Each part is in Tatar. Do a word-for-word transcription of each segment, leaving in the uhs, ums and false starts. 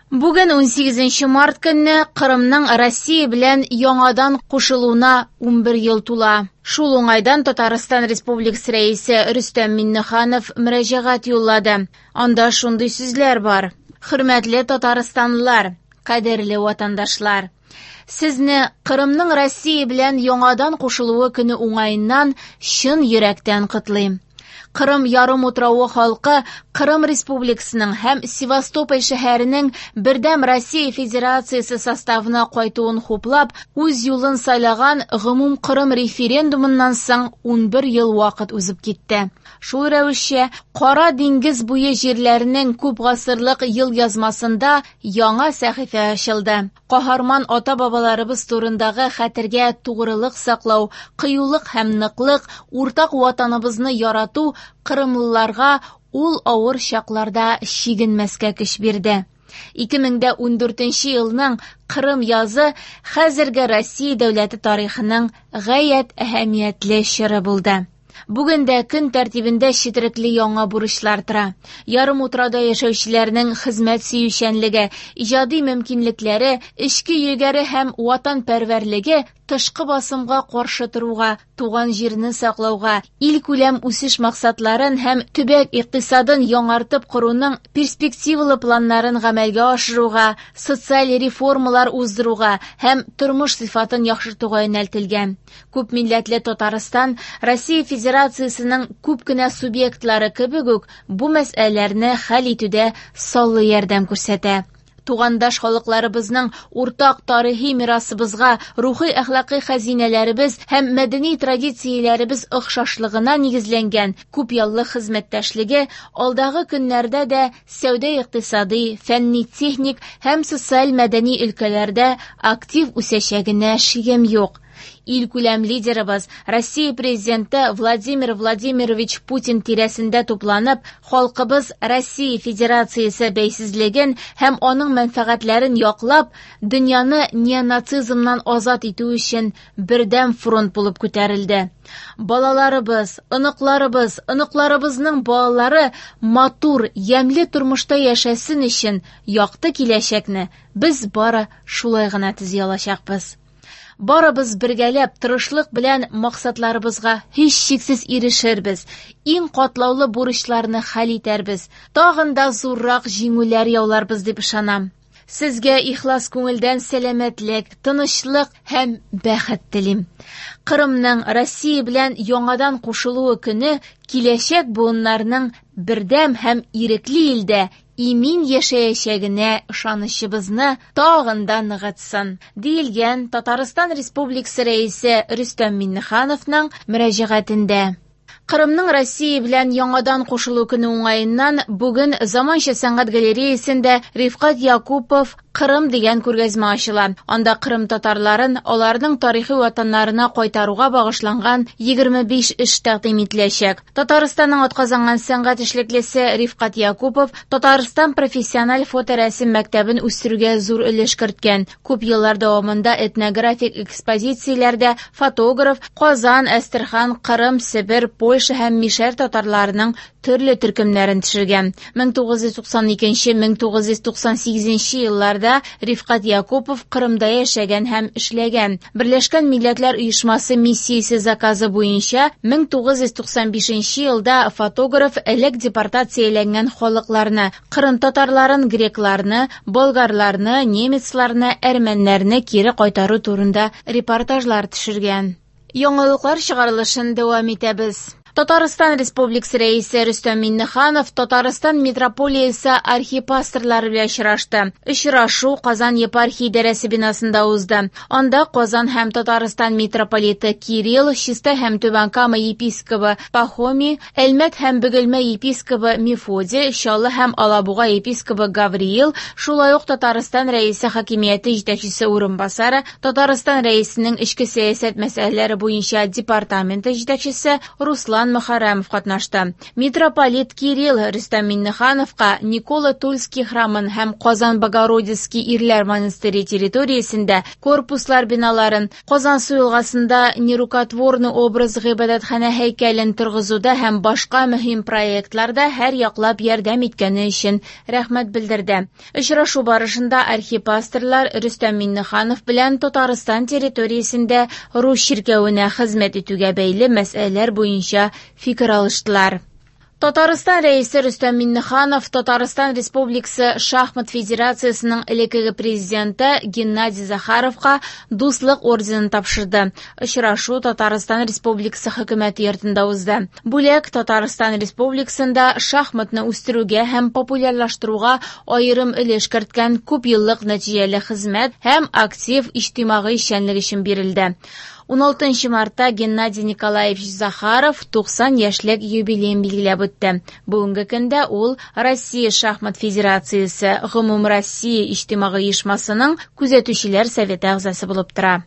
Бүген унсигезенче март көнне Кырымның Россия белән яңадан кушылуына унбер ел тула. Шул уңайдан Татарстан Республикасы Рәисе Рөстәм Миңнеханов мөрәҗәгать юллады. Анда шундый сүзләр бар: Хөрмәтле татарстанлылар, кадерле ватандашлар! Сезне Кырымның Россия белән яңадан кушылуы көне уңаеннан чын йөрәктән котлыйм. Кырым ярымутравы халкы Кырым Республикасының һәм Севастополь шәһәренең бердәм Россия Федерациясе составына кайтуын хуплап, үз юлын сайлаган гомумкырым референдумыннан соң унбер ел вакыт узып китте. Шул рәвешчә, Кара диңгез буе җирләренең күп гасырлык ел язмасында яңа сәхифә ачылды. Каһарман ата-бабаларыбыз турындагы хәтергә тугрылык саклау, кыюлык һәм ныклык, уртак ватаныбызны ярату кырымлыларга ул авыр чакларда чигенмәскә көч бирде. Ике мең дә ундүртенче елның Кырым язы хәзерге Россия дәүләте тарихының гаять әһәмиятле чоры булды. Бүген дә көн тәртибендә четерекле яңа бурычлар тора. Ярымутрауда яшәүчеләрнең хезмәт сөючәнлеге, иҗади мөмкинлекләре, эчке егәре һәм ватанпәрвәрлеге тышкы басымга каршы торуга, туган җирне саклауга, илкүләм үсеш максатларын һәм төбәк икътисадын яңартып коруның перспективалы планнарын гамәлгә ашыруга, социаль реформалар уздыруга һәм тормыш сыйфатын яхшыртуга юнәлтелгән. Күп милләтле Татарстан Россия Федерациясенең күп кенә субъектлары кебек үк бу мәсьәләләрне хәл итүдә саллы ярдәм күрсәтә. Тугандаш халыкларыбызның уртак тарихи мирасыбызга, рухи әхлакый хәзинәләребез һәм мәдәни традицияләребез охшашлыгына нигезләнгән күп еллык хезмәттәшлеге алдагы көннәрдә дә сәүдә-икътисади, фәнни-техник һәм социаль-мәдәни өлкәләрдә актив үсәчәгенә шигем юк. Илкүләм лидерыбыз Россия президенты Владимир Владимирович Путин тирәсендә тупланып, халкыбыз Россия Федерациясе бәйсезлеген һәм аның мәнфәгатьләрен яклап, дөньяны неонацизмнан азат итү өчен бердәм фронт булып күтәрелде. Балаларыбыз, оныкларыбыз, оныкларыбызның балалары матур, ямьле тормышта яшәсен өчен якты киләчәкне без бары шулай гына төзи алачакбыз. Барыбыз бергәләп тырышлык белән максатларыбызга һичшиксез ирешербез, иң катлаулы бурычларны хәл итәрбез, тагын да зуррак җиңүләр яуларбыз дип ышанам. Сезгә ихлас күңелдән сәламәтлек, тынычлык һәм бәхет телим. Кырымның Россия белән яңадан кушылуы көне киләчәк буыннарның бердәм һәм ирекле илдә имин яшәячәгенә ышанычыбызны тагын да ныгытсын, диелгән Татарстан Республикасы Рәисе Рөстәм Миңнехановның мөрәҗәгатендә. Кырымның Россия белән яңадан кушылу көне уңаеннан бүген Заманча сәнгать галереясендә Рифкат Якупов Кырым дигән күргәзмә ачыла. Анда Кырым татарларын аларның тарихи ватаннарына кайтаруга багышланган егерме биш эш тәкъдим ителәчәк. Татарстанның атказанган сәнгать эшлеклесе Рифкат Якупов Татарстан профессиональ фоторәсем мәктәбен үстерүгә зур өлеш керткән. Күп еллар дәвамында этнографик экспозицияләрдә фотограф Казан, Әстерхан, Кырым, Себер, Польша һәм Мишәр татарларының төрле төркемнәрен төшергән. мең тугыз йөз туксан икенче, мең тугыз йөз туксан сигезенче елларда Рифкат Якупов Кырымда яшәгән һәм эшләгән. Берләшкән Милләтләр Оешмасы миссиясе заказы буенча мең тугыз йөз туксан бишенче елда фотограф элек депортацияләнгән халыкларны, Кырым татарларын, грекларны, болгарларны, немецларны, әрмәннәрне кире кайтару турында репортажлар төшергән. Яңалыклар чыгарылышын дәвам итәбез. Татарстан Республикасы Рәисе Рөстәм Миңнеханов Татарстан митрополиясе архипастырлары белән очрашты. Очрашу Казан епархия идарәсе бинасында узды. Анда Казан һәм Татарстан митрополиты Кирилл, Чистай һәм Түбән Кама епископы Пахомий, Әлмәт һәм Бөгелмә епископы Мефодий, Чаллы һәм Алабуга епископы Гавриил, шулай ук Татарстан Рәисе хакимияте җитәкчесе урынбасары, Татарстан Рәисенең эчке сәясәт мәсьәләләре буенча департаменты җитәкчесе Руслан Иван Мөхәррәмов катнашты. Митрополит Кирилл Рөстәм Миңнехановка Никола Тульский храмын һәм Казан Богородицкий ирләр монастыре территориясендә корпуслар биналарын, Казансу елгасында Нерукотворный образ гыйбадәтханә һәйкәлен торгызуда һәм башка мөһим проектларда һәр яклап ярдәм иткәне өчен рәхмәт белдерде. Очрашу барышында архипастырлар Рөстәм Миңнеханов белән Татарстан территориясендә рус чиркәвенә хезмәт итүгә бәйле мәсьәләләр буенча фикер алыштылар. Татарстан Рәисе Рөстәм Миңнеханов Татарстан Республикасы Шахмат Федерациясының элеккеге президенты Геннадий Захаровка Дуслык орденын тапшырды. Очрашу Татарстан Республикасы хөкүмәте йортында узды. Бүләк Татарстан Республикасында шахматны үстерүгә һәм популярлаштыруга аерым өлеш керткән күп еллык нәтиҗәле хезмәт һәм актив иҗтимагый эшчәнлек өчен бирелде. уналтынчы мартта Геннадий Николаевич Захаров туксан яшьлек юбилеен билгеләп үтте. Бүгенге көндә ул Россия Шахмат Федерациясе Гомумроссия иҗтимагый оешмасының күзәтүчеләр советы әгъзасы булып тора.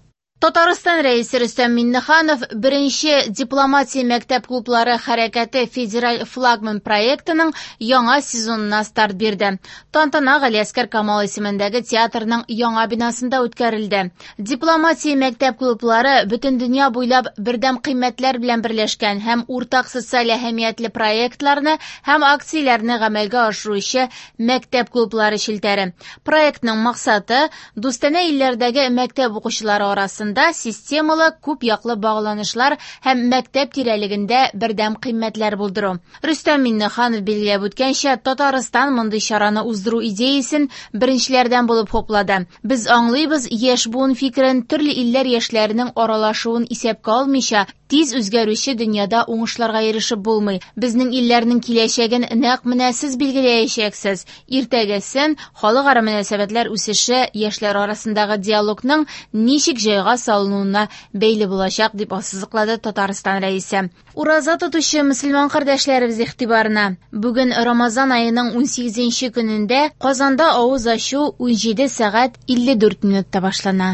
Татарстан Рәисе Рөстәм Миңнеханов беренче дипломатия мәктәп клублары хәрәкәте федераль флагман проектының яңа сезонына старт бирде. Тантана Галиәскәр Камал исемендәге театрның яңа бинасында үткәрелде. Дипломатия мәктәп клублары бөтен дөнья буйлап бердәм кыйммәтләр белән берләшкән һәм уртак социаль әһәмиятле проектларны һәм акцияләрне гамәлгә ашыручы мәктәп клублары челтәре. Проектның максаты дустанә илләрдәге мәктәп укучылары арасында системалы күп яклы багланышлар һәм мәктәп тирәлегендә бердәм кыйммәтләр булдыру. Рөстәм Миңнеханов билгеләп үткәнчә, Татарстан мондый чараны уздыру идеясен беренчеләрдән булып хуплады. Без аңлыйбыз, яшь буын фикерен төрле илләр яшьләренең аралашуын исәпкә алмыйча, тиз үзгәрүче дөньяда уңышларга ирешеп булмый. Безнең илләрнең киләчәген нәкъ менә сез билгеләячәксез. Иртәгәсен халыкара мөнәсәбәтләр үсеше яшьләр арасындагы диалогның ничек җайга салынуына бәйле булачак, дип ассызыклады Татарстан Рәисе. Ураза тотучы мөселман кардәшләребез игътибарына. Бүген Рамазан аеның унсигезенче көнендә Казанда авыз ачу унҗиде сәгать илле дүрт минутта башлана.